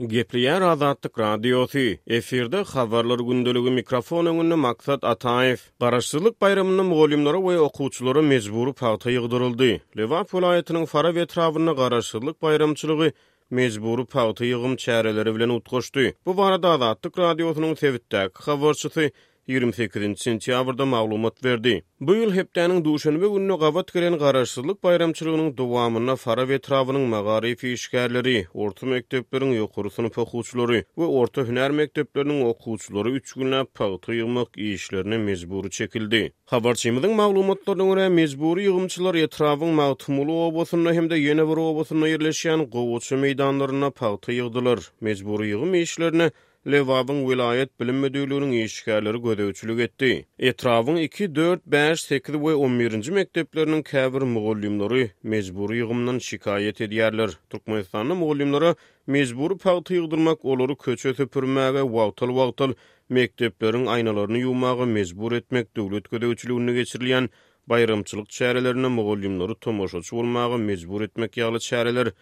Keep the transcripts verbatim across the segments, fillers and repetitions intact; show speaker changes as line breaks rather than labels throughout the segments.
Gepleýär Azatlyk Radiosy, efirde Habarlar gündeligi, mikrofon öňünde Maksat Ataýew. Garaşsyzlyk baýramynda mugallymlara we okuwçylara mejbury pagta ýygdyryldy. Lebap welaýatynyň Farap etrabynda Garaşsyzlyk baýramçylygy mejbury pagta ýygym çäreleri bilen utgaşdy. Bu barada Azatlyk Radiosynyň sebitdäki habarçysy ýigrimi sekizinji sentýabrda maglumat berdi. Bu ýyl hepdäniň duşenbe gününe gabat gelen Garaşsyzlyk baýramçylygynyň dowamynda Farap etrabynyň magaryf işgärleri, orta mekdepleriň ýokary synp okuwçylary we orta hünär mekdepleriniň okuwçylary üç günläp pagta ýygmak işlerine mejbury çekildi. Habarçymyzyň maglumatlaryna görä, mejbury ýygymçylar etrabyň Magtymguly obasynda hem-de ýene bir obasynda ýerleşýän gowaça meýdanlarynda pagta ýygdylar. Mejbury ýygym işlerine Lebabyň welaýat bilim müdirliginiň işgärleri gözegçilik etdi. Etrabyň iki, dört, bäş, sekiz we on birinji mekdepleriniň käbir mugallymlary mejbury ýygymdan şikaýat edýärler. Türkmenistanda mugallymlara mejbury pagta ýygdyrmak, olary köçe süpürmäge, wagtal-wagtal mekdepleriň aýnalaryny ýuwmaga mejbur etmek, döwlet gözegçiliginde geçirilýän baýramçylyk çärelerinde mugallymlary tomaşaçy bolmaga mejbur etmek ýaly çäreler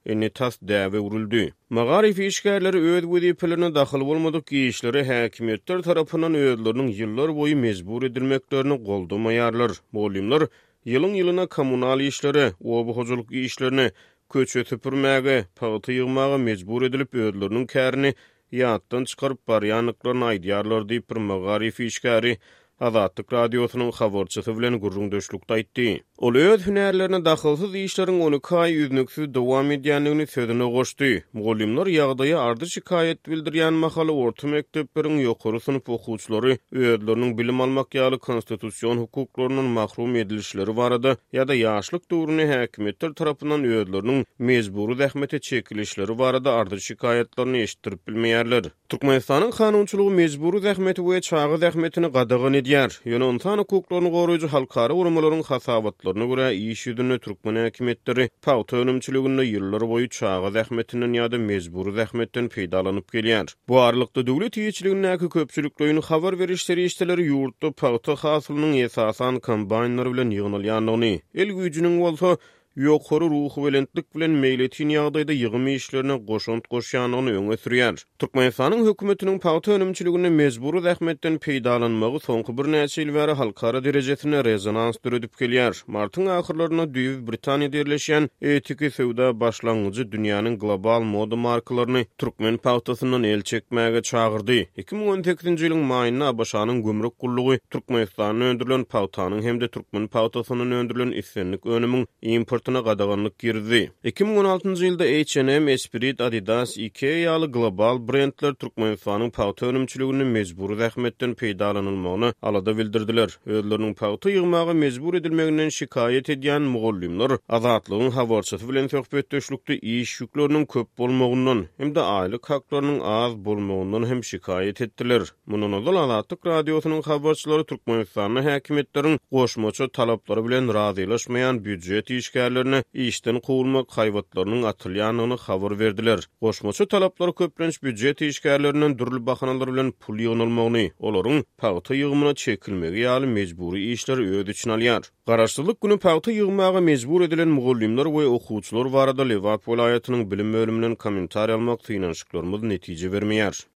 indi tas däbe öwrüldi. Magaryf işgärleri öz wezipelerine dahyl bolmadyk işlere häkimiýetler tarapyndan özleriniň ýyllar boýy mejbur edilmeklerini goldamaýarlar. Mugallymlar ýylyň-ýylyna kommunal işlere, oba hojalyk işlerine, köçe süpürmäge, pagta ýygmaga mejbur edilip, özleriniň kärini ýatdan çykaryp barýandyklaryny aýdýarlar diýip, bir magaryf işgäri Azatlyk Radiosynyň habarçysy bilen gürrüňdeşlikde aýtdy. Ol öz hünärlerine dahylsyz işleriň on iki aý üznüksiz dowam edýändigini sözüne goşdy. Mugallymlar ýagdaýa ardy-şikaýat bildirýän mahaly orta mekdepleriň ýokary synp okuwçylary özleriniň bilim almak ýaly konstitusion hukuklaryndan mahrum edilişleri barada ýa-da ýaşlyk döwründe häkimiýetler tarapyndan özleriniň mejbury zähmete çekilişleri barada ardy-şikaýatlaryny eşitdirip bilmeýärler. Türkmenistanyň kanunçylygy mejbury zähmeti we çaga zähmetini gadagan edýär. Ýöne ynsan hukuklaryny goraýjy halkara guramalaryň hasabatlaryna görä, iş ýüzünde türkmen häkimiýetleri pagta önümçiliginde ýyllar boýy çaga zähmetinden ýa-da mejbury zähmetden peýdalanyp gelýär. Bu aralykda döwlet eýeçiligindäki köpçülikleýin habar beriş serişdeleri ýurtda pagta hasylynyň esasan kombaýnlar bilen ýygnalýandygyny, el güýjüniň bolsa ýokary ruhubelentlik bilen meýletin ýagdaýda ýygym işlerine goşant goşýandygyny öňe sürýär. Türkmenistanyň hökümetiniň pagta önümçiliginde mejbury zähmetden peýdalanmagy soňky birnäçe ýyl bäri halkara derejesinde rezonans döredip gelýär. Martyň ahyrlarynda düýbi Britaniýada ýerleşýän etiki söwda başlangyjy dünýäniň global moda markalaryny türkmen pagtasyndan el çekmäge çagyrdy. Iki müň on sekizinji ýylyň maýynda A B Ş-nyň gümrük gullugy Türkmenistanda öndürilen pagtanyň hem-de türkmen pagtasyndan öndürilen islendik önümiň importyna gadaganlyk girizdi. Iki müň on altynjy ýylda H and M, Esprit, Adidas, Ikea ýaly global brendler Türkmenistanyň pagta önümçiliginde mejbury zähmetden peýdalanylmagyna alada bildirdiler. Özleriniň pagta ýygmaga mejbur edilmeginden şikaýat edýän mugallymlar Azatlygyň habarçysy bilen söhbetdeşlikde iş ýükleriniň köp bolmagyndan hem-de aýlyk haklarynyň az bolmagyndan hem şikaýat etdiler. Mundan ozal Azatlyk Radiosynyň habarçylary Türkmenistanda häkimiýetleriň goşmaça talaplary bilen razylaşmaýan býujet işgärlerine işden kowulmak haýbatlarynyň atylýandygyny habar berdiler. Goşmaça talaplar köplenç býujet işgärlerinden dürli bahanalar bilen pul ýygnalmagyny, olaryň pagta ýygymyna çekilmegi ýaly mejbury işleri öz içine alýar. Garaşsyzlyk günü pagta ýygmaga mejbur edilen mugallymlar we okuwçylar barada Lebap welaýatynyň bilim bölüminden kommentariý almak synanyşyklarymyz netije bermeýär.